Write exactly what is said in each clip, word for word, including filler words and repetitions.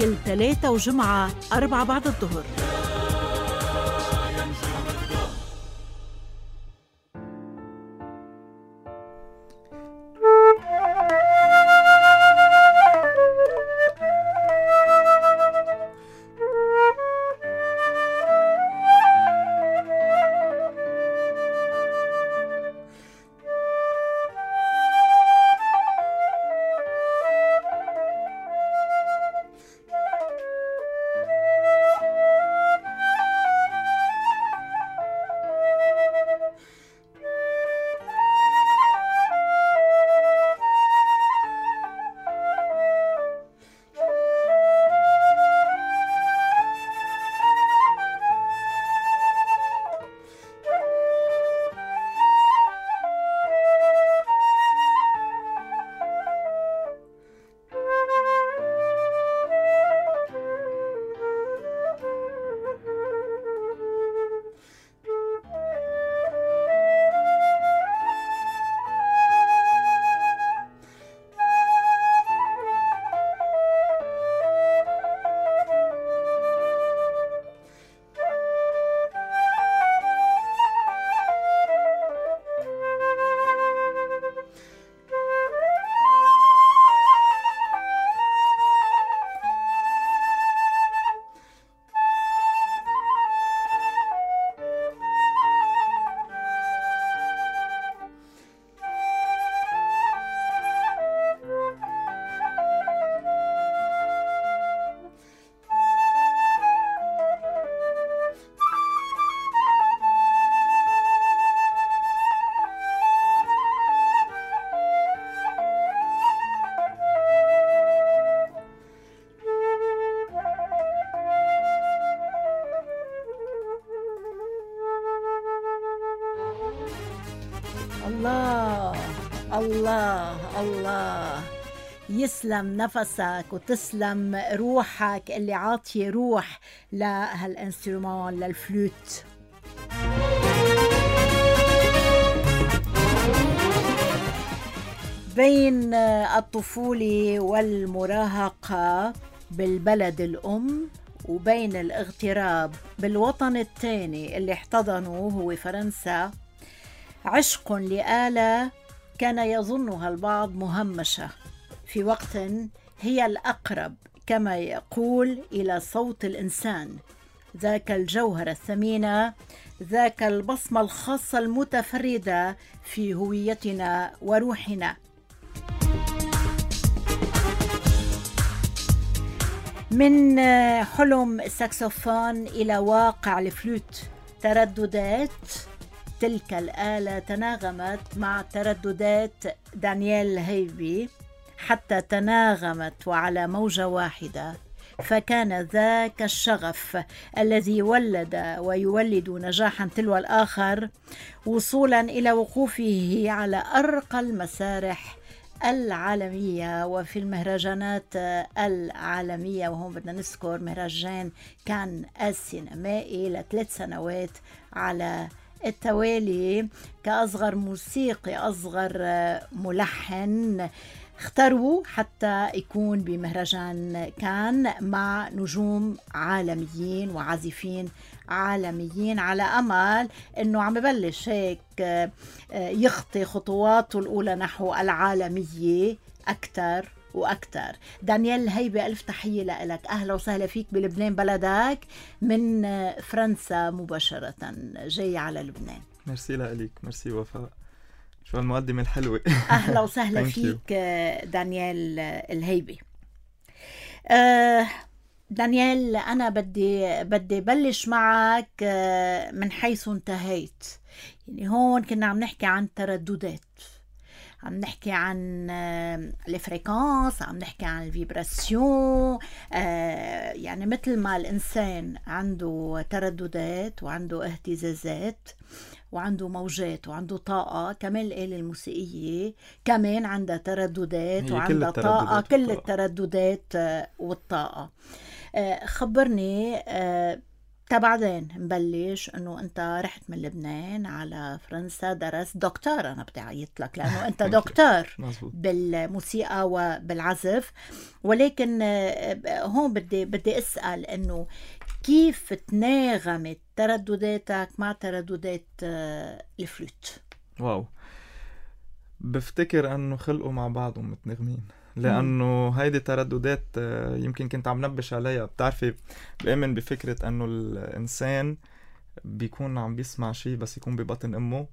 كل ثلاثة وجمعة أربعة بعد الظهر. الله الله الله، يسلم نفسك وتسلم روحك اللي عاطية روح لهالانسترومان للفلوت. بين الطفولة والمراهقة بالبلد الأم وبين الاغتراب بالوطن الثاني اللي احتضنوا هو فرنسا، عشق لآلة كان يظنها البعض مهمشة في وقت هي الأقرب كما يقول إلى صوت الإنسان، ذاك الجوهر الثمينة، ذاك البصمة الخاصة المتفردة في هويتنا وروحنا. من حلم الساكسوفون إلى واقع الفلوت، ترددات تلك الآلة تناغمت مع ترددات دانيال الهيبي حتى تناغمت وعلى موجة واحدة، فكان ذاك الشغف الذي ولد ويولد نجاحا تلو الآخر وصولا إلى وقوفه على أرقى المسارح العالمية وفي المهرجانات العالمية. وهم بدنا نذكر مهرجان كان السينمائي لثلاث سنوات على التوالي كأصغر موسيقي، أصغر ملحن اختاروا حتى يكون بمهرجان كان مع نجوم عالميين وعازفين عالميين، على أمل أنه عم ببلش هيك يخطي خطواته الأولى نحو العالمية أكتر وأكتر. دانيال الهيبي، ألف تحية لك، أهلا وسهلا فيك بلبنان بلدك، من فرنسا مباشرة جاي على لبنان. ميرسي لك، ميرسي وفاء، شو المقدمة الحلوة. أهلا وسهلا فيك دانيال الهيبي. آه دانيال، أنا بدي بدي بلش معك من حيث انتهيت. يعني هون كنا عم نحكي عن ترددات، عم نحكي عن الفريكانس، عم نحكي عن الفيبراسيون. آه يعني مثل ما الإنسان عنده ترددات وعنده اهتزازات وعنده موجات وعنده طاقة، كمان الآلة الموسيقية كمان عندها ترددات وعندها طاقة، كل والطاقة. الترددات والطاقة. آه خبرني، آه تا بعدين نبلش انه انت رحت من لبنان على فرنسا، درست دكتور. انا بدي اعيط لك لانه انت دكتور بالموسيقى وبالعزف، ولكن هون بدي بدي اسال انه كيف تناغمت تردداتك مع ترددات الفلوت؟ واو، بفتكر انه خلقوا مع بعضهم متناغمين، لأنه هيدي ترددات يمكن كنت عم نبش عليها. بتعرفي بأمن بفكرة أنه الإنسان بيكون عم بيسمع شيء بس يكون ببطن أمه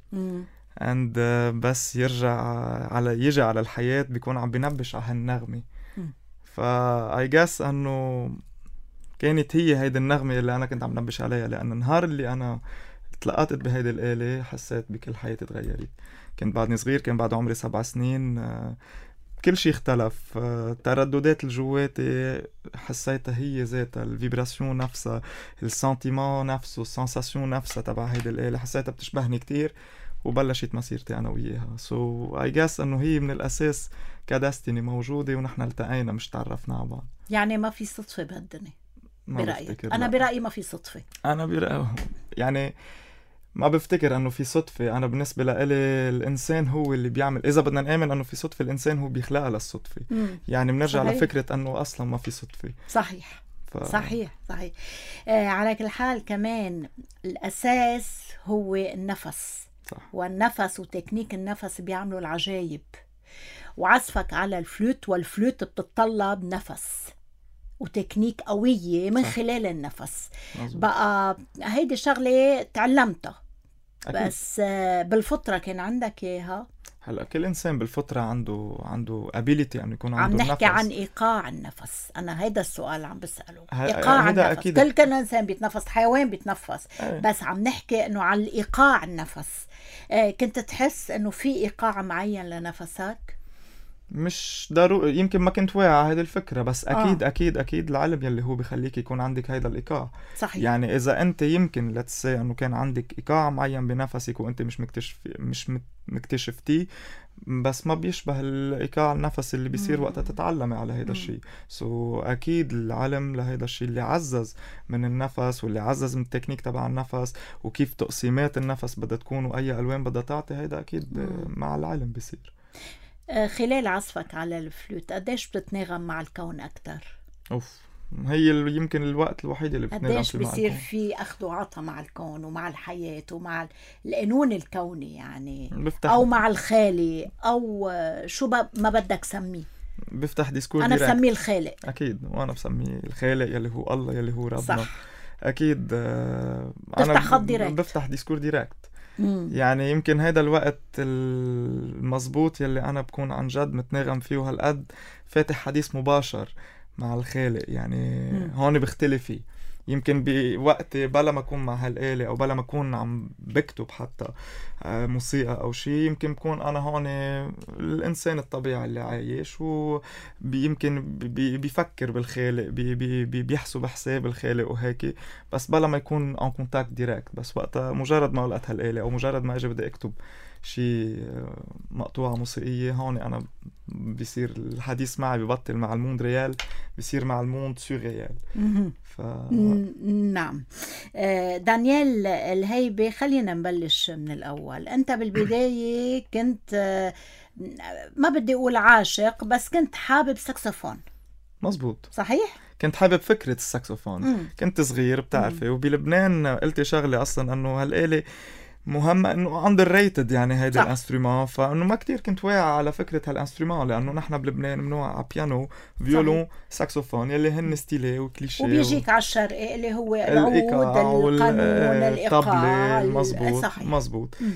and بس يرجع على يجي على الحياة بيكون عم بينبش على هالنغمة. فا I guess أنه كانت هي هيدي النغمة اللي أنا كنت عم نبش عليها، لأن النهار اللي أنا تلقطت بهيدي الآلة حسيت بكل حياتي تغيرت. كنت بعدني صغير، كان بعد عمري سبع سنين، كل شيء اختلف. ترددات الجواتي حسيتها هي ذاتها، الفيبراسيون نفسها، السنتيمون نفسه، السنساسيون نفسها تبع هيدي الآلة حسيتها بتشبهني كتير، وبلشت مسيرتي أنا وياها. so I guess أنه هي من الأساس كدستني موجودة ونحن التقينا مش تعرفنا على بعض. يعني ما في صدفة بهالدنيا برأيك؟ أنا برأيي ما في صدفة. أنا برأيي يعني ما بفتكر أنه في صدفة. أنا بالنسبة لإلي الإنسان هو اللي بيعمل، إذا بدنا نآمن أنه في صدفة الإنسان هو بيخلقها للصدفة. مم. يعني بنرجع صحيح. لفكرة أنه أصلا ما في صدفة. صحيح ف... صحيح صحيح. آه على كل حال كمان الأساس هو النفس. صح. والنفس وتكنيك النفس بيعملوا العجايب، وعزفك على الفلوت، والفلوت بتتطلب نفس وتكنيك قوية من صح. خلال النفس. مزبوط. بقى هيدي شغلة تعلمتها أكيد. بس بالفطرة كان عندك إياها. هلأ كل إنسان بالفطرة عنده عنده ability أن يكون عنده نفس. عم نحكي عن إيقاع النفس. أنا هيدا السؤال عم بسأله. إيقاع النفس أكيد. كل كل إنسان بيتنفس، حيوان بيتنفس. أي. بس عم نحكي إنه عن الإيقاع النفس. آه كنت تحس إنه في إيقاع معين لنفسك؟ مش ضروري، يمكن ما كنت واعي على هذه الفكرة، بس أكيد آه. أكيد أكيد العلم يلي هو بيخليك يكون عندك هيدا الإيقاع. صحيح. يعني إذا أنت يمكن لتسي أنه كان عندك إيقاع معين بنفسك وأنت مش مكتشف مش مكتشفتيه، بس ما بيشبه الإيقاع النفس اللي بيصير وقتها تتعلمي على هيدا الشيء. سو so, أكيد العلم لهيدا الشيء اللي عزز من النفس، واللي عزز من التكنيك تبع النفس، وكيف تقسيمات النفس بدها تكون وأي ألوان بدها تعطي، هيدا أكيد مم. مع العلم بيصير. خلال عزفك على الفلوت قديش بتتناغم مع الكون أكتر؟ أوف، هي يمكن الوقت الوحيد اللي بتناغم قديش بيصير في أخذ وعطا مع الكون ومع الحياة ومع القانون الكوني يعني بفتح. أو مع الخالق أو شو ما بدك سميه. بفتح ديسكور أنا بسميه الخالق أكيد، وأنا بسميه الخالق يلي هو الله يلي هو ربنا. صح. أكيد. آه بفتح خط ديركت، بفتح ديسكور ديركت. مم. يعني يمكن هيدا الوقت المزبوط يلي أنا بكون عن جد متناغم فيه هالقد فاتح حديث مباشر مع الخالق. يعني مم. هون بختلف فيه. يمكن بوقتي بلا ما أكون مع هالآلة أو بلا ما أكون عم بكتب حتى موسيقى أو شيء، يمكن بكون أنا هون الإنسان الطبيعي اللي عايش، ويمكن بيفكر بالخالق، بي بي بيحسب حساب الخالق وهيك، بس بلا ما يكون en contact direct. بس وقتها مجرد ما لقيت هالآلة أو مجرد ما أجي بدي أكتب شيء مقطوعة موسيقية، هون أنا بيصير الحديث معي ببطل مع الموند ريال، بيصير مع الموند سوريال. ف... نعم. دانيال الهيبي، خلينا نبلش من الأول. أنت بالبداية كنت ما بدي أقول عاشق، بس كنت حابب ساكسفون. مزبوط. صحيح؟ كنت حابب فكرة الساكسفون. مم. كنت صغير بتعرفي، وبلبنان قلت شغلة أصلا أنه هالآلة مهمة انه اندر ريتد يعني هيدا الانسترومون، فانه ما كتير كنت واعي على فكرة هالانسترومون، لانه نحن بلبنان منوع على بيانو، فيولون، ساكسوفون يلي هن ستيلي وكليشيه، وبيجيك و... على الشرقي اللي هو العود، القانون، الايقاع. مزبوط. صحيح. مزبوط. م.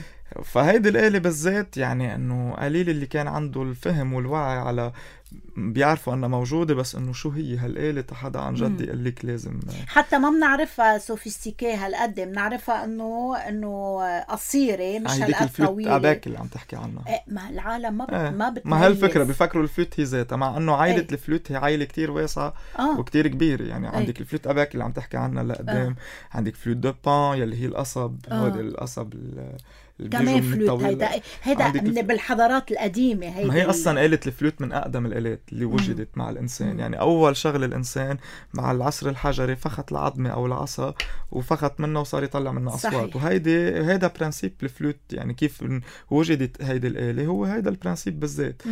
فهيدي الآلة بالذات يعني انه قليل اللي كان عنده الفهم والوعي على بيعرفوا أنها موجودة، بس إنه شو هي هالآلة حدا عن جد يقول لك لازم. حتى ما بنعرفها سوفيستيكي هالقد، بنعرفها إنه إنه قصيرة مش هالقد طويلة. الفلوت أباك اللي عم تحكي عنها. إيه، ما العالم ما ب... إيه. ما بتميز. ما هالفكرة بيفكروا الفلوت هي ذاتها، مع إنه عائلة إيه. الفلوت هي عائلة كتير واسعة آه. وكتير كبيرة. يعني إيه. عندك الفلوت أباك اللي عم تحكي عنها لقدام، آه. عندك فلوت دو بان يلي هي القصب، آه. هذا القصب كمان فلوت. هيدا هيدا بالحضارات القديمة. هيدا ما هي أصلا آلة الفلوت من أقدم الآلات اللي وجدت مم. مع الإنسان. مم. يعني أول شغل الإنسان مع العصر الحجري فخت العظمة أو العصا وفخت منها وصار يطلع منها أصوات. وهيدي هيدا برانسيب الفلوت، يعني كيف وجدت هيدي الآلة هو هيدا البرانسيب بالذات.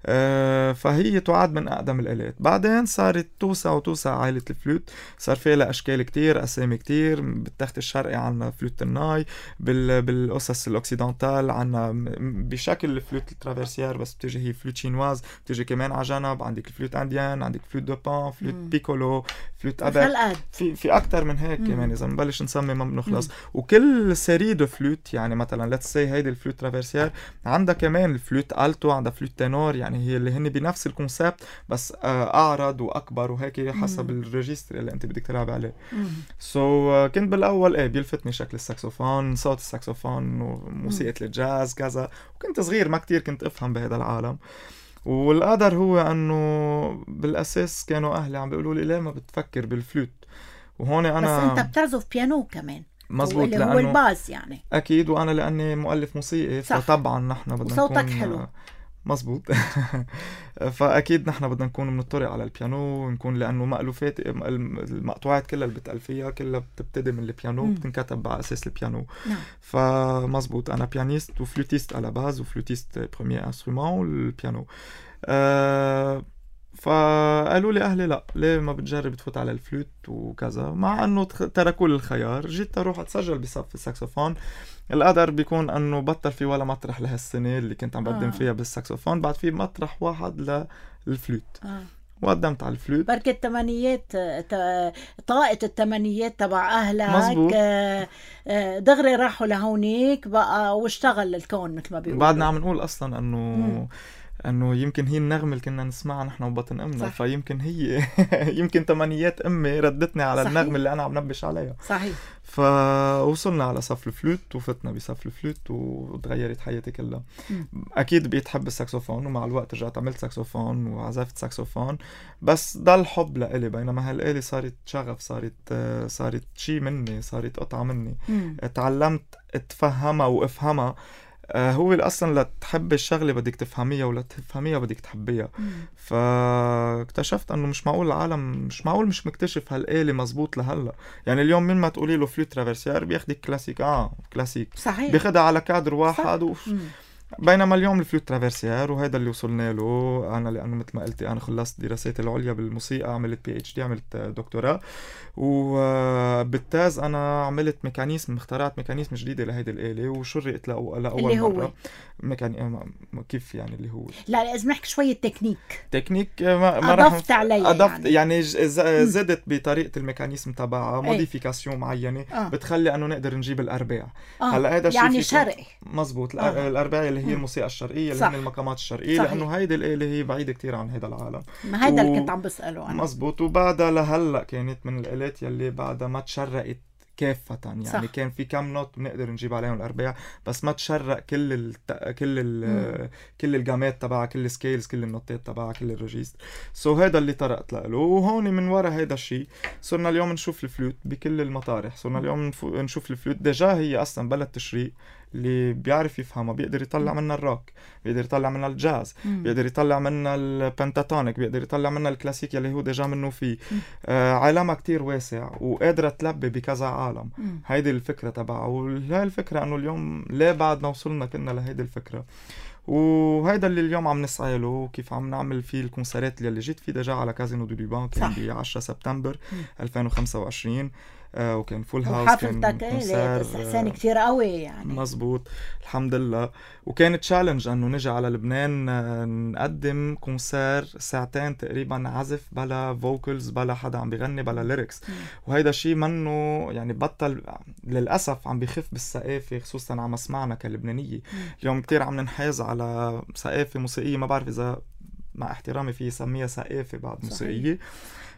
آه فهي تعد من أقدم الآلات. بعدين صارت توسع وتوسع عائلة الفلوت، صار فيها لها أشكال كتير، أسامي كتير. بالتخت الشرقي عنا فلوت الناي، بال... بالقصص الأوكسيدانتال عنا بشكل الفلوت الترافيرسيير بس بتجي هي فلوت شينواز، بتجي كمان على جنب. عندك الفلوت انديان، عندك فلوت دو بان، فلوت مم. بيكولو، فلوت أباك، في في أكتر من هيك. مم. كمان إذا نبلش نسمي ما بنخلص. وكل سيري دو فلوت، يعني مثلا ليتس سي هيدي الفلوت ترافيرسيير عندها كمان الفلوت ألتو، عندها فلوت تينور، يعني هي اللي هن بنفس الكونسبت بس أعرض وأكبر وهيك حسب الريجستر اللي أنت بدك تلعب عليه. سو so, كنت بالأول إيه بيلفتني شكل الساكسوفون، صوت الساكسوفون وموسيقى الجاز كذا. وكنت صغير ما كتير كنت أفهم بهذا العالم. والقدر هو أنه بالأساس كانوا أهلي عم بيقولوا لي ليه ما بتفكر بالفلوت. وهون أنا بس أنت بتعزف بيانو كمان. مزبوط، اللي هو الباس يعني. أكيد، وأنا لأني مؤلف موسيقي فطبعا نحن بدنا وصوتك نكون حلو. مزبوط. فأكيد نحن بدنا نكون بنطرق على البيانو، نكون لأنه مألوفات المقطوعات كلها اللي بتألفيها كلها بتبتدي من البيانو، بتنكتب على أساس البيانو. نعم. فمزبوط أنا بيانيست وفلوتيست على باز، وفلوتيست بروميير انسترومون والبيانو. أه فقالوا لي أهلي لا ليه ما بتجرب تفوت على الفلوت وكذا، مع أنه تركوا لي الخيار. جيت أروح أتسجل بصف الساكسوفون. القدر بيكون أنه بطل في ولا مطرح لهالسنة اللي كنت عم بقدم آه. فيها بالساكسوفون، بعد في مطرح واحد للفلوت. آه. وقدمت على الفلوت. بركة التمانيات، طاقة التمانيات تبع أهلك. مزبوط. دغري راحوا لهونيك بقى واشتغل الكون مثل ما بيقولوا. بعدنا عم نقول أصلا أنه مم. انه يمكن هي النغمه اللي كنا نسمعها نحن وبطن امنا. صح. فيمكن هي يمكن تمانيات امي ردتني على صحيح. النغمه اللي انا عم نبش عليها. صحيح. فوصلنا على صف الفلوت وفتنا بصف الفلوت وتغيرت حياتي كلها. م. اكيد بقيت حب الساكسوفون، ومع الوقت رجعت عملت ساكسوفون وعزفت ساكسوفون، بس ضل حب لإلي. بينما هالآلة صارت شغف، صارت صارت شيء مني، صارت قطعه مني. م. تعلمت اتفهمها وافهمها. آه هو أصلا لتحب الشغلة بدك تفهميها، ولا تفهميها بدك تحبيها. فاكتشفت أنه مش معقول العالم مش معقول مش مكتشف هالآلة مزبوط لهلا. يعني اليوم من ما تقولي له فلوت ترافيرسيير بياخدك كلاسيك. آه كلاسيك صحيح. بياخدها على كادر واحد وف... بينما اليوم الفلوت ترافيرسيير وهذا اللي وصلنا له أنا، لأنه مثل ما قلتي أنا خلصت دراساتي العليا بالموسيقى، عملت بي اتش دي، عملت دكتوراه. وبالتاز أنا عملت ميكانيزم، اخترعت ميكانيزم جديدة لهيدي الآلة وشرقت لأول اللي هو مرة. ميكاني... كيف يعني اللي هو لا لازم نحكي شوية تكنيك تكنيك ما, ما أضفت عليها. أضفت يعني, يعني ز... زدت بطريقة الميكانيزم تبعها موديفيكاسيون معينة. آه. بتخلي أنه نقدر نجيب الأرباع. آه. هلا هذا يعني شرقي مزبوط. آه. الأرباع اللي هي الموسيقى الشرقية اللي هي المقامات الشرقية. صحيح. لأنه هيدي الآلة هي بعيدة كتير عن هذا العالم. ما هيدا و... اللي كنت عم بسأله أنا. مزبوط. وبعدها لهلأ كانت من الآلات يلي بعدها ما تشرقت كافة. يعني صح. كان في كم نوت بنقدر نجيب عليهم الأرباع، بس ما تشرق كل ال كل ال كل الجامات تبعها، كل السكيلز، كل النوتات تبعها، كل الريجيست. سو so هذا اللي طرقت له. وهون من وراء هذا الشيء صرنا اليوم نشوف الفلوت بكل المطارح. صرنا اليوم نشوف الفلوت ديجا هي أصلا بلد تشريق اللي بيعرف يفهمها، بيقدر يطلع منها الروك، بيقدر يطلع منها الجاز، مم. بيقدر يطلع منها البنتاتونيك، بيقدر يطلع منها الكلاسيك اللي هو ديجا منه فيه. آه عالمها كتير واسع وقادرة تلبي بكذا عالم. مم. هيدي الفكرة تبعها. وهي الفكرة انه اليوم ليه بعدنا وصلنا كنا لهيدي الفكرة، وهيدا اللي اليوم عم نسعى له، كيف عم نعمل فيه الكونسرات اللي جيت فيه ديجا على كازينو دو ليبان كان ب عشرة سبتمبر ألفين وخمسة وعشرين. آه وكان فول هاوس، كان كونسر بس احسان كتير قوي يعني. مزبوط الحمد لله. وكان تشالنج انه نجي على لبنان نقدم كونسر ساعتين تقريبا عزف بلا فوكلز، بلا حدا عم بيغني، بلا ليركس. وهيدا شيء منه يعني بطل للاسف عم بيخف بالثقافه، خصوصا على مسمعنا كلبنانيه. اليوم كتير عم ننحاز على ثقافه موسيقيه، ما بعرف اذا مع احترامي في يسميها ثقافه بعد موسيقيه.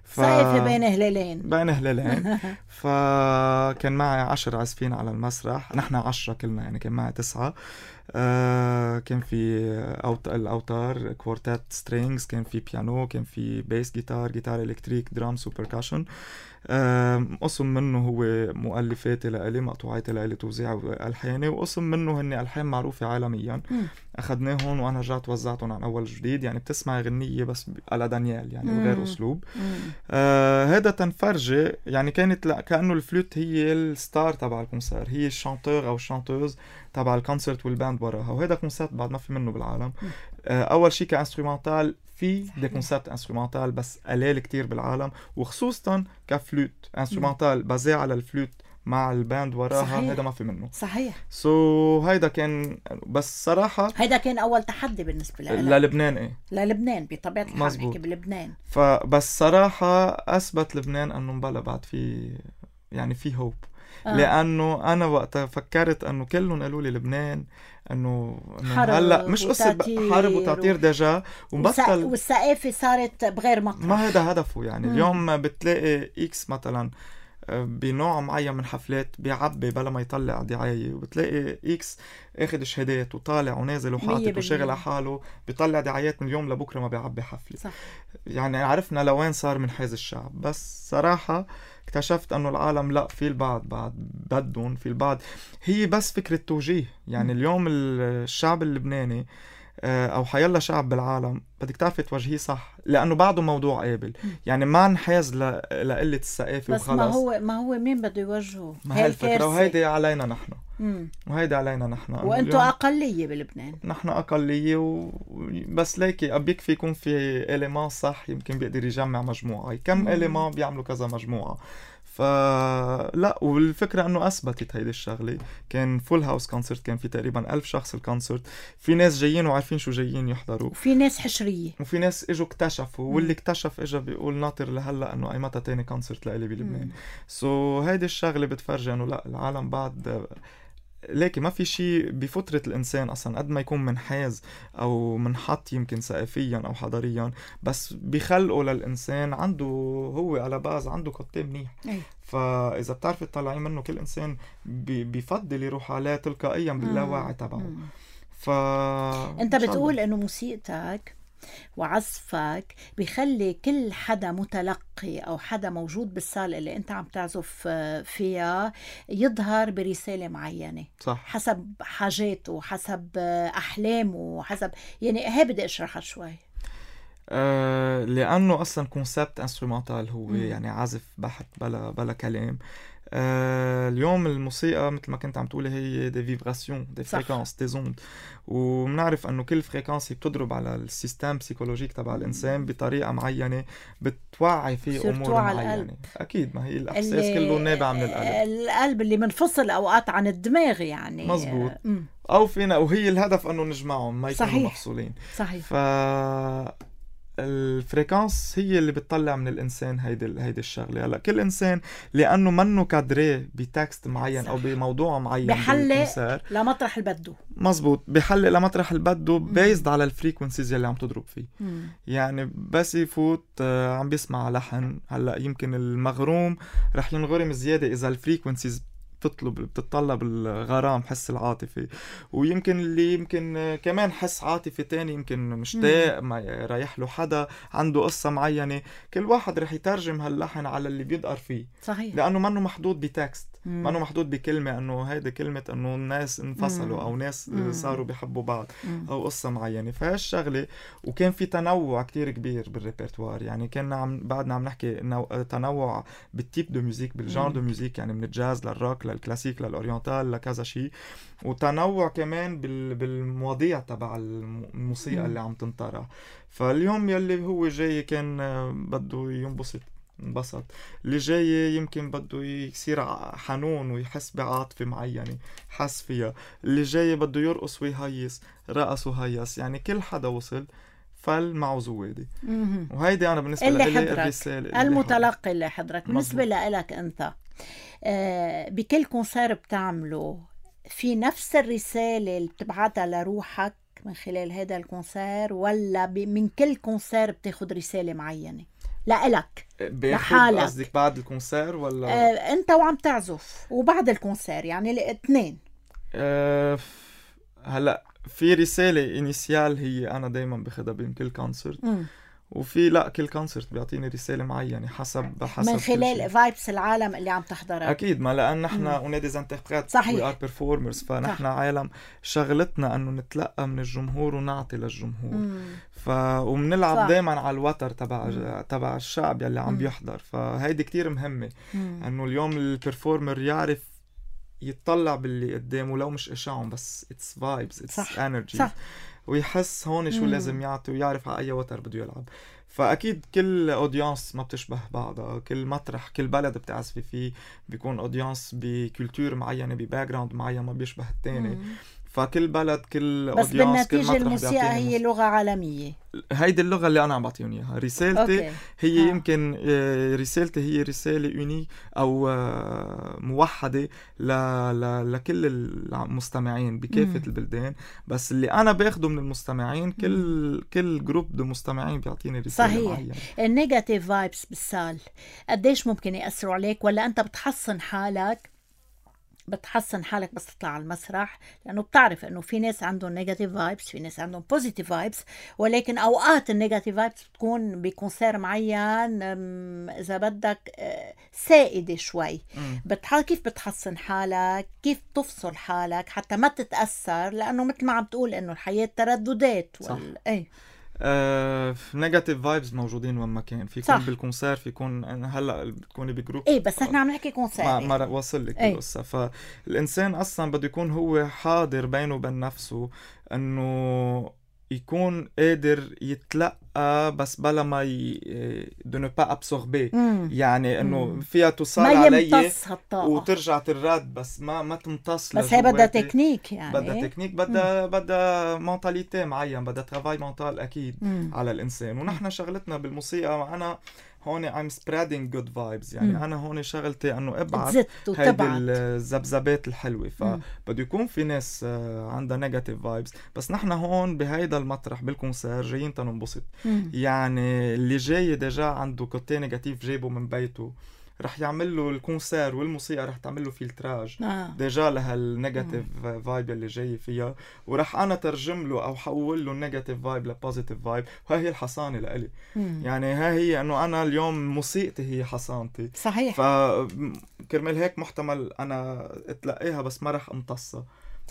ف... ثقافة بين هلالين بين هلالين. فكان معي عشر عازفين على المسرح، نحن عشرة كلنا يعني، كان معي تسعة. آه كان في أوت... الأوتار كوارتات سترينجز، كان في بيانو، كان في بيس جيتار، جيتار إلكتريك، درامز وبركاشن. قسم منه هو مؤلفاتي لإلي، مقطوعاتي لإلي، توزيع وألحاني، وقسم منه هني ألحان معروفة عالميا أخدناهم وأنا رجعت وزعتهم عن أول جديد. يعني بتسمع غنية بس على دانيال يعني وغير أسلوب. آه هذا تنفرجي يعني كانت لا كأنه الفلوت هي الستار تبع الكونسير، هي الشانتور أو الشانتوز تبع الكونسرت والباند وراها. وهذا كونسيرت بعد ما في منه بالعالم. آه أول شيء كإنسترومنتال في دي كونسيبت انسترومنتال بس قليل كتير بالعالم، وخصوصا كفلوت انسترومنتال بازي على الفلوت مع الباند وراها. هيدا ما في منه. صحيح. سو so, هيدا كان بس صراحة هيدا كان أول تحدي بالنسبة لي للبنان. إيه للبنان بطبيعة الحال نحكي بلبنان. فبس صراحة أثبت لبنان أنه مبلا بعد في يعني في هوب. آه. لأنه أنا وقتها فكرت أنه كلهم قالوا لي لبنان أنه هلا مش قصة حرب وتعطير و... دجا ومبطل والثقافة صارت بغير مطرح. ما هذا هدفه يعني. مم. اليوم بتلاقي إكس مثلا بنوع معين من حفلات بيعبي بلا ما يطلع دعاية، وبتلاقي إكس اخد شهادات وطالع ونازل وحاطط وشغل على حاله بيطلع دعايات من اليوم لبكرة ما بيعبي حفلة. صح. يعني عرفنا لوين صار من حيز الشعب. بس صراحة اكتشفت انه العالم لا، في البعض بعد بدهم في البعض. هي بس فكرة توجيه يعني. م. اليوم الشعب اللبناني او حيلا شعب بالعالم بدك تعرفي توجهيه صح، لانه بعده موضوع قابل. يعني ما نحاز لقلة الثقافة وخلص. بس ما هو ما هو مين بده يوجهه؟ ما هي الفكرة، وهيدي علينا نحن. مم. وهيدي علينا نحن. وانتوا اقلية بلبنان. نحن اقلية و... بس ليكي بيكفي يكون في إليمان صح يمكن بيقدر يجمع مجموعة. كم إليمان بيعملوا كذا مجموعة. فلا، والفكرة انه اثبتت هيدي الشغلة. كان فول هاوس كونسرت، كان في تقريبا ألف شخص الكونسرت. في ناس جايين وعارفين شو جايين يحضروا، وفي ناس حشرية، وفي ناس اجوا اكتشفوا. واللي اكتشف اجا بيقول ناطر لهلا انه اي متى تاني كونسرت لإلي بلبنان. سو so, هيدي الشغلة بتفرجي انه لا، العالم بعد لكن ما في شيء بفترة الإنسان أصلا قد ما يكون منحاز أو منحط يمكن ثقافيا أو حضاريا، بس بيخلقوا للإنسان عنده هو على باز عنده قطة منيح. أي. فإذا بتعرفي تطلعين منه كل إنسان بي بيفضل يروح عليه تلقائيا باللاوعي تبعه. ف أنت بتقول إنه موسيقتك وعزفك بيخلي كل حدا متلقي أو حدا موجود بالصالة اللي أنت عم تعزف فيها يظهر برسالة معينة. صح. حسب حاجاته، حسب أحلامه، حسب يعني هي بدي أشرحها شوي. أه لأنه أصلا كونسبت انسترومنتال هو م. يعني عزف بحت بلا بلا كلام. آه اليوم الموسيقى مثل ما كنت عم تقولي هي دي فيبراسيون، دي فريكانس، دي زوند، وبنعرف انه كل فريكانس بتضرب على السيستم بسيكولوجيك تبع الانسان بطريقه معينه بتوعي فيه امور معينه. اكيد ما هي الاحساس كله نابع من القلب. القلب اللي منفصل اوقات عن الدماغ يعني. مزبوط. م. او فينا، وهي الهدف انه نجمعهم ما يكونوا مفصولين. صحيح. ف الفريكانس هي اللي بتطلع من الانسان هيدي هيدي الشغله. هلا كل انسان لانه منه كادري بتكست معين. صح. او بموضوع معين بحلق لمطرح اللي بده. مزبوط، بحلق لمطرح اللي بده بيزد على الفريكونسيز اللي عم تضرب فيه. مم. يعني بس يفوت عم بيسمع لحن، هلا يمكن المغروم رح ينغرم زياده اذا الفريكونسيز بتطلب بتطلب الغرام، حس العاطفي. ويمكن اللي يمكن كمان حس عاطفي تاني، يمكن مشتاق ما رايح له حدا عنده قصة معينة. كل واحد رح يترجم هاللحن على اللي بيدقر فيه. صحيح. لأنه منه محدود بتكست، منه محدود بكلمة انه هيدا كلمة انه الناس انفصلوا. مم. او ناس مم. صاروا بيحبوا بعض. مم. او قصة معينة. فهالشغلة. وكان في تنوع كتير كبير بالريبرتوار. يعني كنا عم بعدنا عم نحكي نوع... تنوع بالتيب دو ميوزيك، بالجانر دو ميوزيك، يعني من الجاز للروك للكلاسيك للأورينتال لكذا شيء. وتنوع كمان بال... بالمواضيع تبع الموسيقى. مم. اللي عم تنطرح. فاليوم يلي هو جاي كان بده ينبسط انبسط، اللي جاي يمكن بده يصير حنون ويحس بعاطفة معينة حس فيها، اللي جاي بده يرقص ويهيس رقص وهيس. يعني كل حدا وصل فل معه زوادي. وهيدي أنا بالنسبة لي الرسالة المتلقي اللي حضرك. بالنسبة لك أنت آه بكل كونسير بتعمله في نفس الرسالة اللي بتبعتها لروحك من خلال هذا الكونسير، ولا من كل كونسير بتاخد رسالة معينة لإلك لحالك؟ قصدك بعد الكونسير ولا آه انت وعم تعزف وبعد الكونسير، يعني الاثنين؟ آه هلا في رسالة انيسيال هي أنا دايما بخدها بين كل كونسرت، وفي لا كل كونسرت بيعطيني رسالة معينة حسب حسب من خلال فايبس العالم اللي عم تحضرها. أكيد، ما لأن نحن اون دي انتربريت وي ار بيرفورمرز، فنحن صح. عالم شغلتنا أنه نتلقى من الجمهور ونعطي للجمهور. مم. ف وبنلعب دايما على الوتر تبع تبع الشعب يلي عم مم. بيحضر، فهيدي كتير مهمة أنه اليوم البرفورمر يعرف يتطلع باللي قدامه لو مش إشاعهم، بس it's vibes it's energy، ويحس هون شو مم. لازم يعطي ويعرف على أي وتر بده يلعب. فأكيد كل أوديانس ما بتشبه بعضها، كل مطرح كل بلد بتعزفي فيه بيكون أوديانس بكولتور معينة بباكجراوند معين ما بيشبه التاني. مم. فكل بلد كل بس بالنتيجة الموسيقى هي لغة عالمية. هيدي اللغة اللي أنا عم بعطيهم إياها. رسالتي أوكي. هي ها. يمكن رسالتي هي رسالة يوني أو موحدة ل... ل... لكل المستمعين بكافة مم. البلدان، بس اللي أنا باخده من المستمعين كل مم. كل جروب دو مستمعين بيعطيني رسالة صحيح. معينة. النيجاتيف فايبس بالسال قديش ممكن يأثروا عليك، ولا أنت بتحصن حالك بتحسن حالك بس تطلع على المسرح؟ لأنه بتعرف أنه في ناس عندهم نيجاتيف فايبس، في ناس عندهم بوزيتيف فايبس، ولكن أوقات النيجاتيف فايبس بتكون بكونسير معين إذا بدك سائدة شوي. بتح... كيف بتحسن حالك؟ كيف تفصل حالك حتى ما تتأثر؟ لأنه مثل ما عم تقول أنه الحياة ترددات وال... أي نيجاتيف فايبز موجودين وين ما كان، في يكون بالكونسير، في يكون هلا بتكوني بجروب. ايه بس احنا عم نحكي كونسير ما, ما وصل لك القصه. فالانسان اصلا بده يكون هو حاضر بينه وبين نفسه انه يكون قادر يتلقى بس بلا ما ي... دو نو با ابسوربي، يعني انه فيها توصل علي وترجع ترد، بس ما ما تمتص. بس هي بدها تكنيك، يعني بدها تكنيك، بدها بدها مونتاليتي معين، بدها ترافاي مونتال اكيد مم. على الانسان. ونحن شغلتنا بالموسيقى معنا هون I'm spreading good vibes، يعني مم. أنا هون شغلتي أنه أبعت هيدي الزبزبات الحلوة. فبده يكون في ناس عندها negative vibes، بس نحن هون بهيدا المطرح بالكونسير جايين تنبسط. يعني اللي جاي ديجا عنده كوتي نيجاتيف جايبه من بيته، رح يعمل له الكونسير والموسيقى رح تعمل له فلتراج آه. ديجا لهالنيجاتيف فايب اللي جاي فيها، ورح انا ترجم له او حول له النيجاتيف فايب لبوزيتيف فايب. وهي هي الحصانه لإلي، يعني ها هي انه انا اليوم موسيقتي هي حصانتي. صحيح. فكرمال هيك محتمل انا اتلقيها بس ما رح امتصها،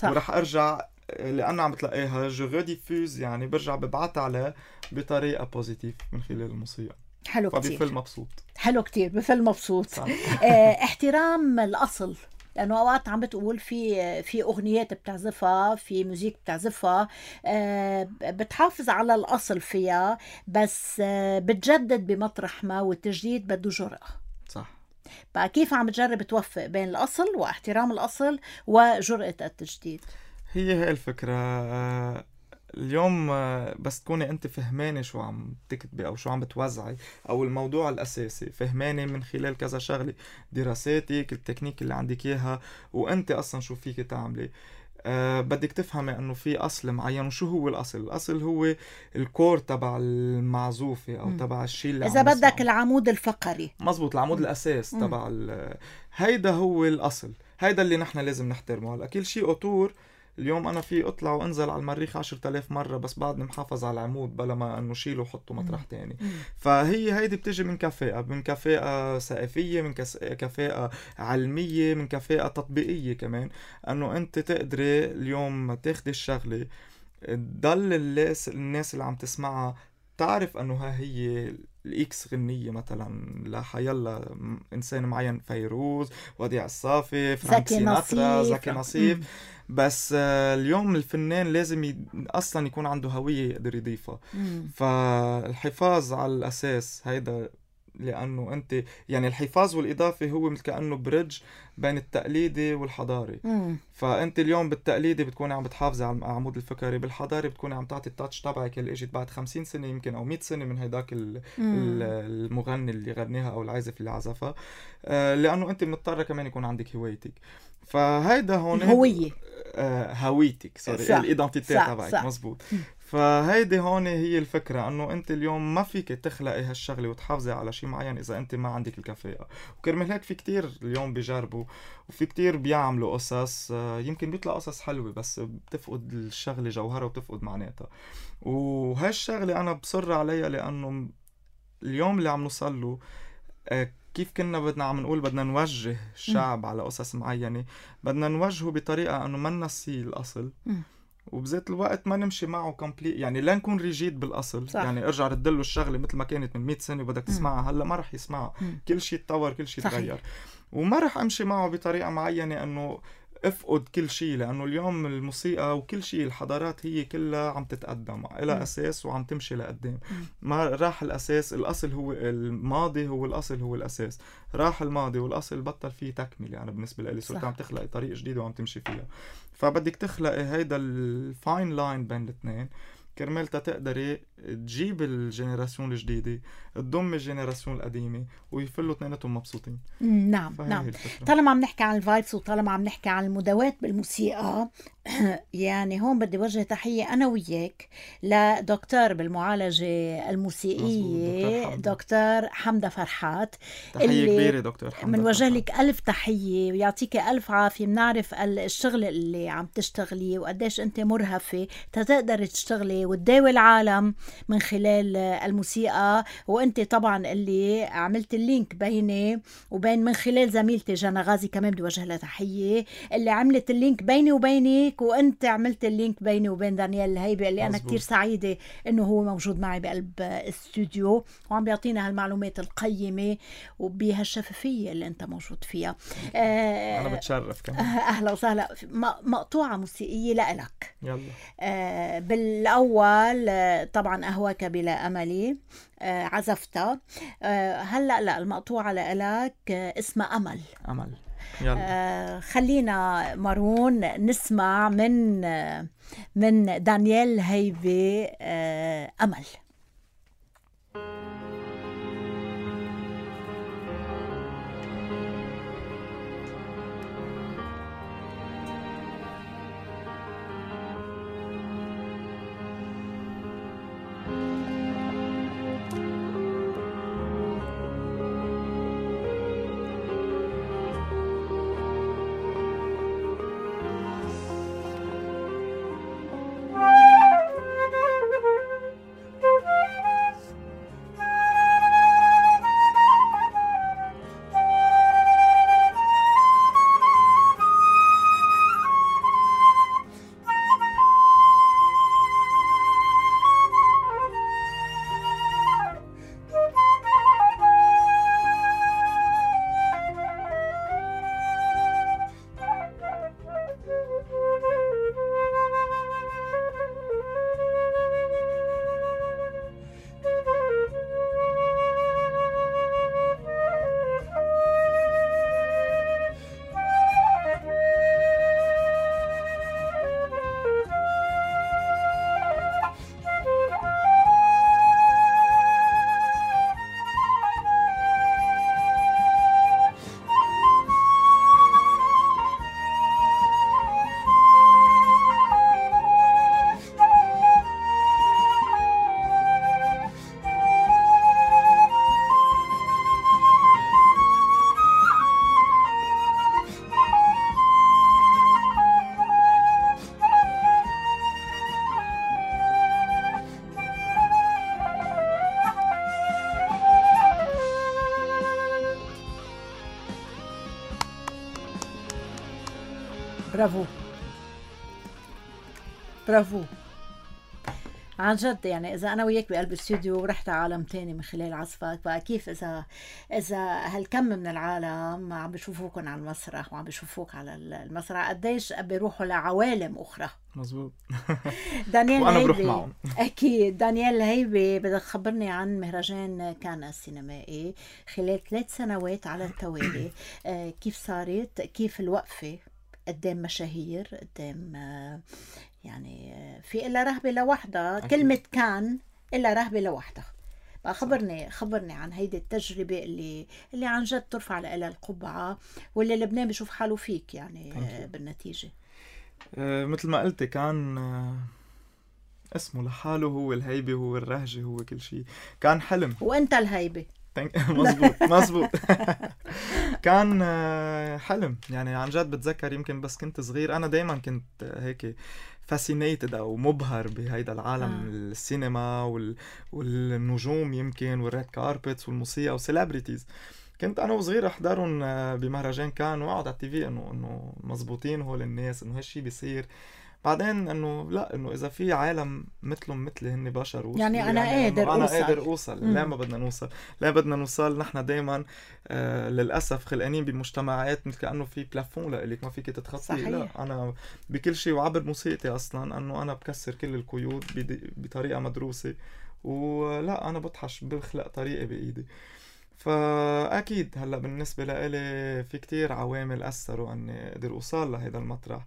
ورح ارجع لأنا عم تلاقيها جو ريديفوز، يعني برجع ببعتها عليه بطريقه بوزيتيف من خلال الموسيقى. حلو كتير. فبيفل مبسوط. حلو كتير، بفل مبسوط. اه احترام الأصل، لأنه أوقات عم بتقول في في أغنيات بتعزفها، في موسيقى بتعزفها اه بتحافظ على الأصل فيها، بس اه بتجدد بمطرح ما، والتجديد بده جرأة. صح. بقى كيف عم تجرب توفق بين الأصل واحترام الأصل وجرأة التجديد؟ هي هي الفكرة. اه اليوم بس تكوني انت فهماني شو عم تكتبي او شو عم بتوزعي، او الموضوع الاساسي فهماني من خلال كذا شغله، دراساتك، التكنيك اللي عندك اياها، وانت اصلا شو فيك تعملي. أه بدك تفهمي انه في اصل معين. وشو هو الاصل؟ الاصل هو الكور تبع المعزوفه او تبع الشيء اللي اذا بدك نسمعه. العمود الفقري. مزبوط، العمود م. الاساس م. تبع هيدا هو الاصل، هيدا اللي نحن لازم نحترمه. هلا كل شيء اوتور اليوم أنا في أطلع وأنزل على المريخ عشرة آلاف مرة، بس بعدني محافظ على العمود بلا ما أنه شيله وحطه مطرح تاني. فهي هيدي بتجي من كفاءة، من كفاءة ثقافية، من كفاءة علمية، من كفاءة تطبيقية كمان، أنه أنت تقدري اليوم تاخدي الشغلة تضل الناس الناس اللي عم تسمعها تعرف أنه ها هي الإكس غنية مثلا لحيالله إنسان معين، فيروز، وديع الصافي، فرانك سيناترا، زكي نصيف. بس اليوم الفنان لازم ي... أصلا يكون عنده هوية يقدر يضيفها. فالحفاظ على الأساس هيدا، لأنه أنت يعني الحفاظ والإضافة هو مثل كأنه بريدج بين التقليدي والحضاري. مم. فأنت اليوم بالتقليدي بتكوني عم بتحافظي على العمود الفكري، بالحضاري بتكوني عم تعطي التاتش تبعك اللي اجت بعد خمسين سنة يمكن أو مئة سنة من هيداك المغني اللي غنيها أو العازف اللي عزفها. آه لأنه أنت مضطرة كمان يكون عندك هوايتك. فهيدا هون الهوية، آه هويتك سوري، الإيدنتيتي تبعك. مزبوط. فهيدي هون هي الفكرة، انه انت اليوم ما فيك تخلقي هالشغلة وتحافظي على شيء معين اذا انت ما عندك الكفاءة. وكرمال هيك في كتير اليوم بيجربوا وفي كتير بيعملوا قصص، يمكن بيطلع قصص حلوة بس بتفقد الشغلة جوهرها وبتفقد معناتها. وهالشغلة انا بصر عليها لانه اليوم اللي عم نوصل له كيف كنا بدنا عم نقول بدنا نوجه الشعب م. على قصص معينة، بدنا نوجهه بطريقة انه ما ننسي الاصل م. وبذات الوقت ما نمشي معه كومبليت، يعني لا نكون ريجيد بالاصل. صح. يعني ارجع ردله الشغله مثل ما كانت من مئة سنه وبدك تسمعها هلا ما رح يسمعها. م. كل شيء تطور، كل شيء تغير، وما رح امشي معه بطريقه معينه انه افقد كل شيء، لانه اليوم الموسيقى وكل شيء الحضارات هي كلها عم تتقدم لها اساس وعم تمشي لقدام. ما راح الاساس، الاصل هو الماضي، هو الاصل هو الاساس. راح الماضي والاصل بطل فيه تكمله. يعني بالنسبه لي صرت عم تخلقي طريق جديد وعم تمشي فيها، فبدك تخلقي هيدا الفاين لاين بين الاثنين كرمال تقدري تجيب الجنراسيون الجديدة تضم الجنراسيون القديمة ويفلوا اثنيناتهم مبسوطين. نعم نعم. طالما عم نحكي عن الفايبس وطالما عم نحكي عن المداواة بالموسيقى، يعني هون بدي وجه تحية أنا وياك لدكتور بالمعالجة الموسيقية دكتور حمدة فرحات. تحية كبيرة دكتور حمدة، من وجه لك ألف تحية ويعطيك ألف عافية. بنعرف الشغل اللي عم تشتغلي وقديش أنت مرهفة تقدر تشتغلي وتداوي العالم من خلال الموسيقى. وأنت طبعا اللي عملت اللينك بيني وبين من خلال زميلتي جانا غازي كمان بدي وجه لها تحية، اللي عملت اللينك بيني وبينك، وأنت عملت اللينك بيني وبين دانيال الهيبي اللي أنا كتير سعيدة إنه هو موجود معي بقلب الاستوديو وعم بيعطينا هالمعلومات القيمة وبهالشفافية اللي أنت موجود فيها. آه أنا بتشرف كمان. أهلا وسهلا. مقطوعة موسيقية لإلك. يلا. آه بالأول طبعا أهواك بلا أملي آه عزفتها. آه هلأ لا المقطوعة لإلك آه اسمها أمل. أمل. يلا. آه خلينا مارون نسمع من آه من دانيال هيبي آه أمل. برافو برافو عن جد. يعني إذا أنا وياك بقلب الاستوديو ورحت عالم تاني من خلال عزفك، فكيف إذا إذا هالكم من العالم عم بيشوفوكن على المسرح وعم بيشوفوك على المسرح قديش بيروحوا لعوالم أخرى. مزبوط. دانيال وأنا هيبي بروح معهم. أكيد. دانيال هيبي بدك تخبرني عن مهرجان كان السينمائي خلال ثلاث سنوات على التوالي. كيف صارت، كيف الوقفة قدام مشاهير، قدام يعني في إلا رهبة لوحدها. كلمة كان إلا رهبة لوحدها. خبرني خبرني عن هيدي التجربة اللي اللي عن جد ترفع لها القبعة واللي لبنان بيشوف حاله فيك يعني بالنتيجة. آه مثل ما قلت كان آه اسمه لحاله هو الهيبة، هو الرهجة، هو كل شيء. كان حلم. وانت الهيبة. مزبوط مزبوط. كان حلم يعني عن جد. بتذكر يمكن بس كنت صغير أنا دايما كنت هيك fascinated أو مبهر بهيدا العالم. آه. السينما وال... والنجوم يمكن والريد كاربتس والموسيقى وسيلابريتيز. كنت أنا وصغير أحضرهم بمهرجان كان وأقعد على التي في إنه إنه مزبوطين هول الناس، إنه هالشي بيصير. بعدين إنه لا، إنه إذا في عالم مثلهم مثلي هن بشر يعني أنا يعني قادر أنا أوصل. قادر أوصل. لا ما بدنا نوصل، لا بدنا نوصل. نحن دايما آه للأسف خلقانين بمجتمعات مثل كأنه في بلافون لإلك ما فيك تتخطي. لا أنا بكل شيء وعبر موسيقتي أصلا أنه أنا بكسر كل القيود بطريقة مدروسة، ولا أنا بطحش بخلق طريقة بإيدي. فأكيد هلأ بالنسبة لإلي في كتير عوامل أثروا أني قدر أوصل لهذا المطرح.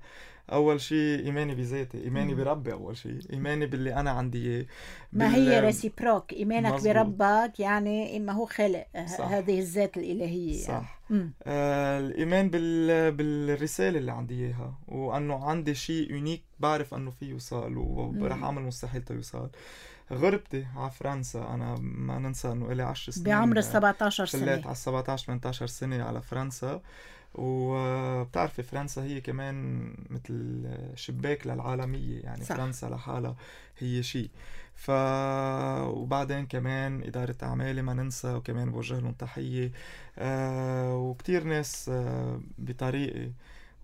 أول شيء إيماني بذاتي، إيماني مم. بربي. أول شيء إيماني باللي أنا عندي إياه. ما هي ريسيبروك إيمانك مزبوط. بربك يعني إما هو خلق صح. هذه الذات الإلهية صح يعني. آه الإيمان بال... بالرسالة اللي عندي إياها، وأنه عندي شيء يونيك بعرف أنه فيه يوصل ورح أعمل مستحيل تيوصل. غربتي على فرنسا، أنا ما ننسى أنه إلي عشر سنين بعمر السبعتاشر سنة، شليت على السبعتاشر ثمانتاشر سنة على فرنسا. وبتعرفي فرنسا هي كمان مثل شباك للعالمية يعني صح. فرنسا لحالها هي شيء. ف وبعدين كمان إدارة أعمالي ما ننسى، وكمان بوجه لهم تحية. أه وكتير ناس أه بطريقي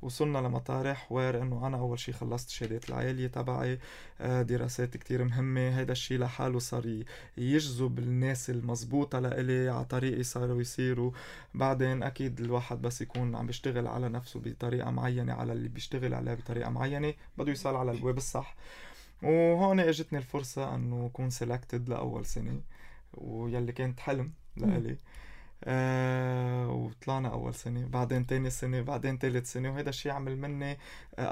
وصلنا لمطارح وير انه انا اول شي خلصت شهادات العالية تبعي، دراسات كتير مهمة. هيدا الشي لحاله صار يجذب الناس المزبوطة لإلي على طريقي صاروا يصيروا. بعدين اكيد الواحد بس يكون عم بيشتغل على نفسه بطريقة معينة، على اللي بيشتغل عليها بطريقة معينة، بده يوصل على البواب الصح. وهون اجتني الفرصة انه اكون سيلكتد لأول سنة، ويلي كانت حلم لإلي. آه وطلعنا أول سنة، بعدين تاني سنة، بعدين تالت سنة. وهذا الشيء عمل مني آه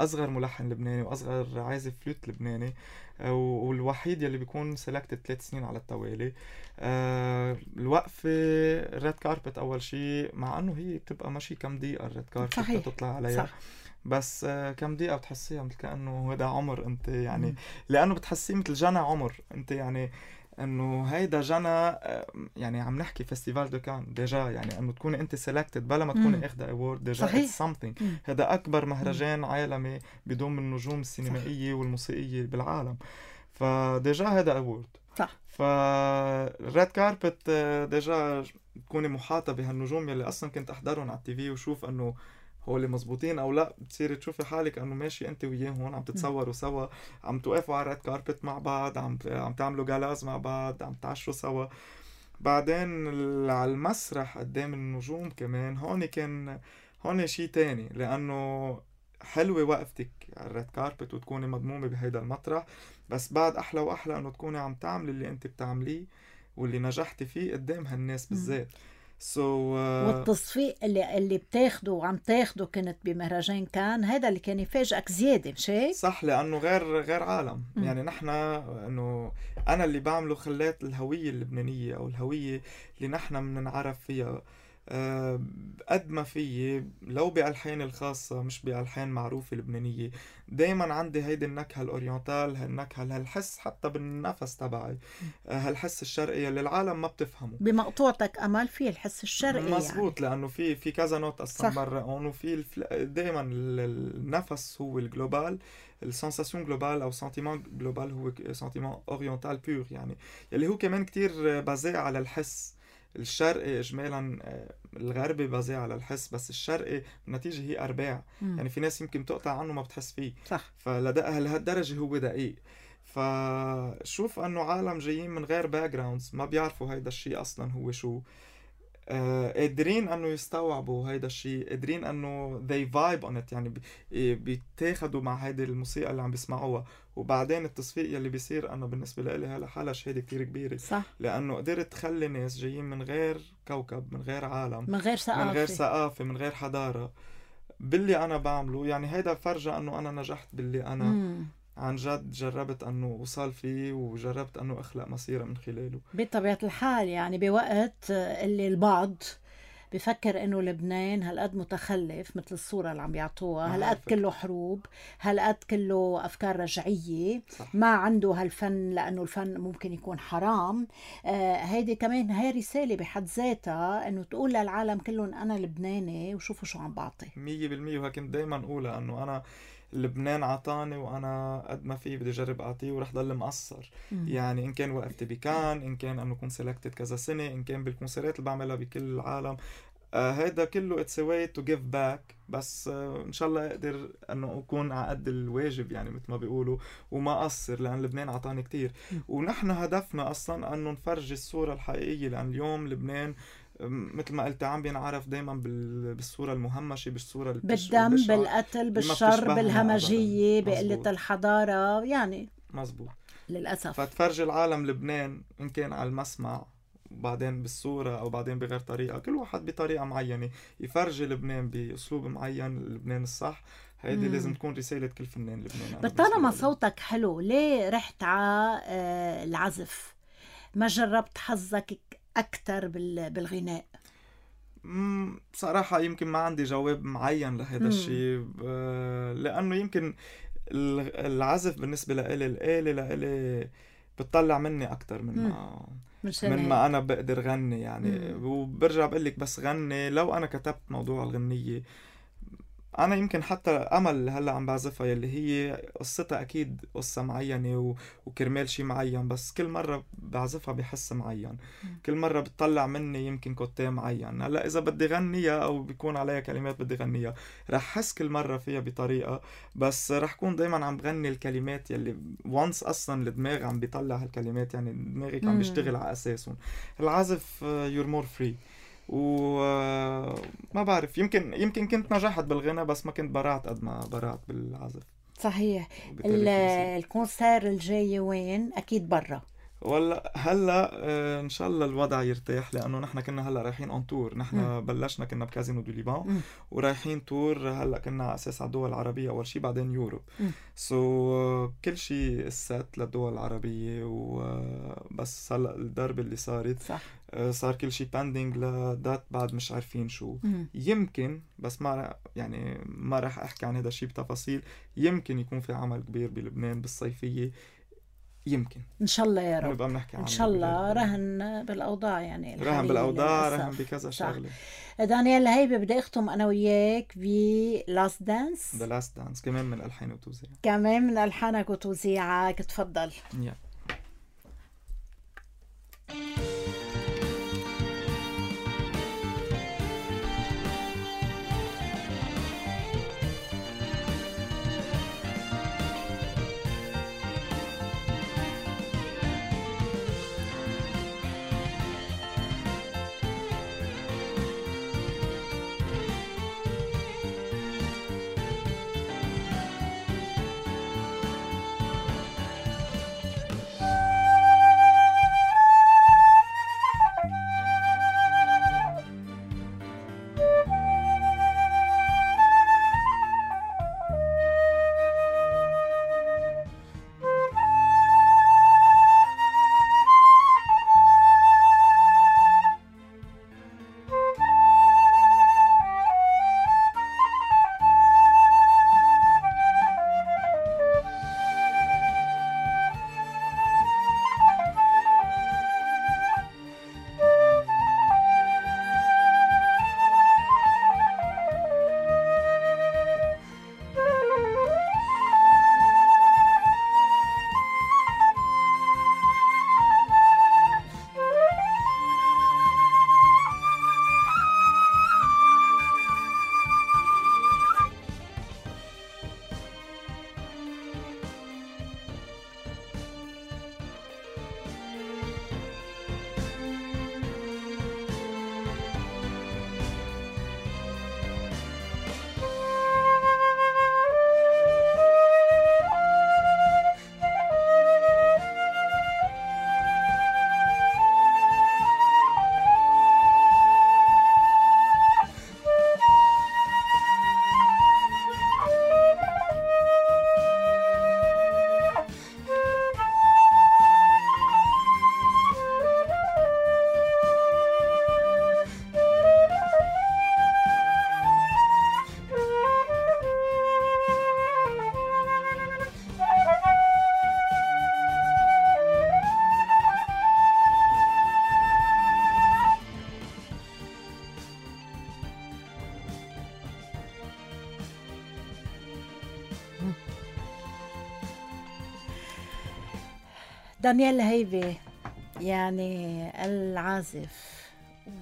أصغر ملحن لبناني وأصغر عازف فلوت لبناني، آه والوحيد يلي بيكون سيلكتد ثلاث سنين على التوالي. آه الوقفة الريد كاربت أول شيء، مع أنه هي بتبقى ماشي كم دقيقة الريد كاربت تطلع عليها صح. بس آه كم دقيقة بتحسيها مثل كأنه هذا عمر أنت يعني م. لأنه بتحسيه مثل جنى عمر أنت يعني، انه هيدا جنى يعني عم نحكي فيستيفال دو كان ديجا، يعني انه تكوني انت سيلكتد بلا ما تكوني اخذه اوورد ديجا اتس سمثينج. هذا اكبر مهرجان مم. عالمي بضم النجوم السينمائيه والموسيقيه بالعالم، فديجا هذا اوورد صح. فالريد كاربت ديجا تكوني محاطه بهالنجوم يلي اصلا كنت احضرهم على التي في وشوف انه هو اللي مزبوطين او لا، بتصيري تشوفي حالك انه ماشي انت وياهم عم تتصوروا سوا، عم توقفوا على الريد كاربت مع بعض، عم عم تعملوا جالاز مع بعض، عم تعشوا سوا. بعدين على المسرح قدام النجوم كمان هون كان هون شيء تاني، لانه حلوه وقفتك على الريد كاربت وتكوني مضمومه بهيدا المطرح، بس بعد احلى واحلى انه تكوني عم تعملي اللي انت بتعمليه واللي نجحتي فيه قدام هالناس بالذات. So, uh... والتصفيق اللي اللي بتاخده وعم تاخده كنت بمهرجان كان هذا اللي كان يفاجئك زياده، مش هيك؟ صح، لانه غير غير عالم. م. يعني نحن انه انا اللي بعمله خلات الهويه اللبنانيه او الهويه اللي نحن بننعرف فيها أه قد ما فيي لو بألحان الخاصة مش بألحان معروفة لبنانية، دايما عندي هيدي النكهة الأورينتال، هالنكهة هالحس حتى بالنفس تبعي، أه هالحس الشرقي اللي العالم ما بتفهمه. بمقطوعتك أمل في الحس الشرقي مزبوط يعني. لأنه في في كذا نوت أصلا برا هون، وفي الفل... دايما النفس هو الجلوبال، السنساسيون جلوبال أو سنتيمان جلوبال هو سنتيمان أورينتال بيور، يعني اللي هو كمان كتير بازي على الحس. الشرقي اجمالا الغربي بازي على الحس، بس الشرقي النتيجه هي ارباع. مم. يعني في ناس يمكن تقطع عنه ما بتحس فيه صح، فلهالدرجه هو دقيق. فشوف انه عالم جايين من غير باك جراوندز ما بيعرفوا هيدا الشيء اصلا هو شو، آه قادرين انه يستوعبوا هيدا الشيء، قادرين انه they vibe on it، يعني بيتاخدوا مع هيدي الموسيقى اللي عم بيسمعوها. وبعدين التصفيق يلي بيصير انا بالنسبه لي هلا حالها شهاده كتير كبيره صح. لانه قدرت تخلي ناس جايين من غير كوكب، من غير عالم، من غير ثقافه، من غير ثقافه، من غير حضاره باللي انا بعمله. يعني هيدا فرجة انه انا نجحت باللي انا مم. عن جد جربت أنه وصل فيه، وجربت أنه أخلق مسيرة من خلاله بطبيعة الحال. يعني بوقت اللي البعض بفكر انه لبنان هالقد متخلف مثل الصورة اللي عم بيعطوها، هالقد كله حروب، هالقد كله افكار رجعية، صح. ما عنده هالفن لانه الفن ممكن يكون حرام. آه هيدي كمان هاي رسالة بحد ذاتها انه تقول للعالم كلهم انا لبناني وشوفوا شو عم بعطي. مية بالمية. وهيك دايما اقولها انه انا لبنان عطاني وانا قد ما في بدي اجرب اعطيه ورح ضل مقصر. مم. يعني ان كان وقفت بكان، ان كان انه كنت سلكتد كذا سنه، ان كان بالكونسرات اللي بعملها بكل العالم، آه هيدا كله it's a way to give back. بس آه ان شاء الله اقدر انه اكون على قد الواجب يعني مثل ما بيقولوا وما اقصر، لان لبنان عطاني كتير. مم. ونحن هدفنا اصلا انه نفرجي الصوره الحقيقيه، لان اليوم لبنان مثل ما قلت عم بينعرف دايما بالصورة المهمشة، بالصورة بالدم، بالقتل، بالشر، بالهمجية، بقلة الحضارة يعني. مزبوط للأسف. فتفرجي العالم لبنان إن كان على المسمع وبعدين بالصورة أو بعدين بغير طريقة، كل واحد بطريقة معينة يفرجي لبنان بأسلوب معين، لبنان الصح. هيدي لازم تكون رسالة كل فنان لبنان. بالطالما صوتك حلو، ليه رحت على آه العزف؟ ما جربت حظك أكتر بالغناء؟ مم بصراحة يمكن ما عندي جواب معين لهذا الشيء، لأنه يمكن العزف بالنسبة لإلي الآلة لإلي بتطلع مني أكتر من ما من ما أنا بقدر غني يعني. مم. وبرجع بقلك بس غني، لو أنا كتبت موضوع الغنية أنا يمكن حتى أمل هلأ عم بعزفها يلي هي قصتها أكيد قصة معينة و... وكرمال شي معين، بس كل مرة بعزفها بحس معين. كل مرة بتطلع مني يمكن كوتيه معين. هلأ إذا بدي غنيها أو بيكون عليها كلمات بدي غنيها، رح حس كل مرة فيها بطريقة، بس رح كون دايما عم بغني الكلمات يلي وانس أصلا الدماغ عم بيطلع هالكلمات، يعني دماغك عم بيشتغل على أساسهم. العزف you're more free. وما بعرف، يمكن يمكن كنت نجحت بالغنى بس ما كنت برعت قد ما برعت بالعزف. صحيح. الكونسير الجاي وين؟ اكيد برا ولا هلا آه ان شاء الله الوضع يرتاح، لانه نحن كنا هلا رايحين اون تور. نحن م. بلشنا كنا بكازينو دو ليبان ورايحين تور. هلا كنا على اساس على الدول العربيه اول شيء، بعدين يوروب. سو so, كل شيء السات للدول العربيه، وبس هلا الضربه اللي صارت صح. آه صار كل شيء باندينج لدات بعد مش عارفين شو. م. يمكن بس ما يعني ما راح احكي عن هذا الشيء بتفاصيل. يمكن يكون في عمل كبير بلبنان بالصيفيه، يمكن ان شاء الله يا رب. ان شاء الله. رهن بالاوضاع يعني، رهن بالاوضاع، رهن بكذا شغله. دانيال هيبه بدي اختم انا وياك ب لاست دانس. ذا لاست دانس كمان من الحان وتوزيع، كمان من الحانك وتوزيعك. تفضل. yeah. دانيال الهيبي يعني العازف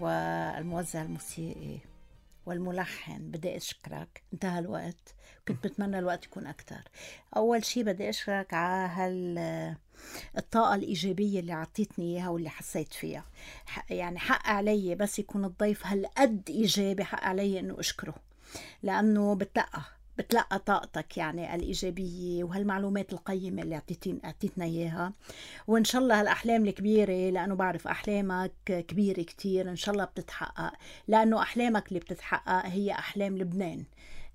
والموزع الموسيقي والملحن، بدي أشكرك. انتهى الوقت، كنت بتمنى الوقت يكون أكتر. أول شي بدي أشكرك على هال الطاقة الإيجابية اللي عطيتني إياها واللي حسيت فيها. يعني حق علي بس يكون الضيف هالقد إيجابي، حق علي إنه أشكره، لأنه بتلقى بتلقى طاقتك يعني الإيجابية وهالمعلومات القيمة اللي عطيتين عطيتنا إياها. وإن شاء الله هالأحلام الكبيرة، لأنه بعرف أحلامك كبيرة كتير، إن شاء الله بتتحقق، لأنه أحلامك اللي بتتحقق هي أحلام لبنان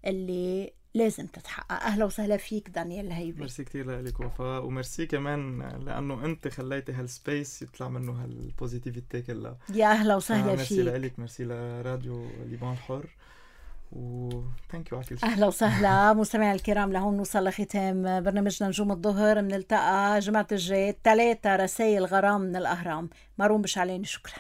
اللي لازم تتحقق. أهلا وسهلا فيك دانيال الهيبي. ميرسي كتير لك وفاء، وميرسي كمان لأنه أنت خليتي هالسبيس يطلع منه هالبوزيتيفيتي كلها. يا أهلا وسهلا فيك. فيك. ميرسي لك، ميرسي لراديو لبنان الحر، و ثانك يو على كل شيء. اهلا وسهلا مستمعي الكرام، لهون نوصل لختام برنامجنا نجوم الظهر. بنلتقى جمعة الجاي ثلاثة رسائل غرام من الأهرام. مارون بشعلاني، شكرا.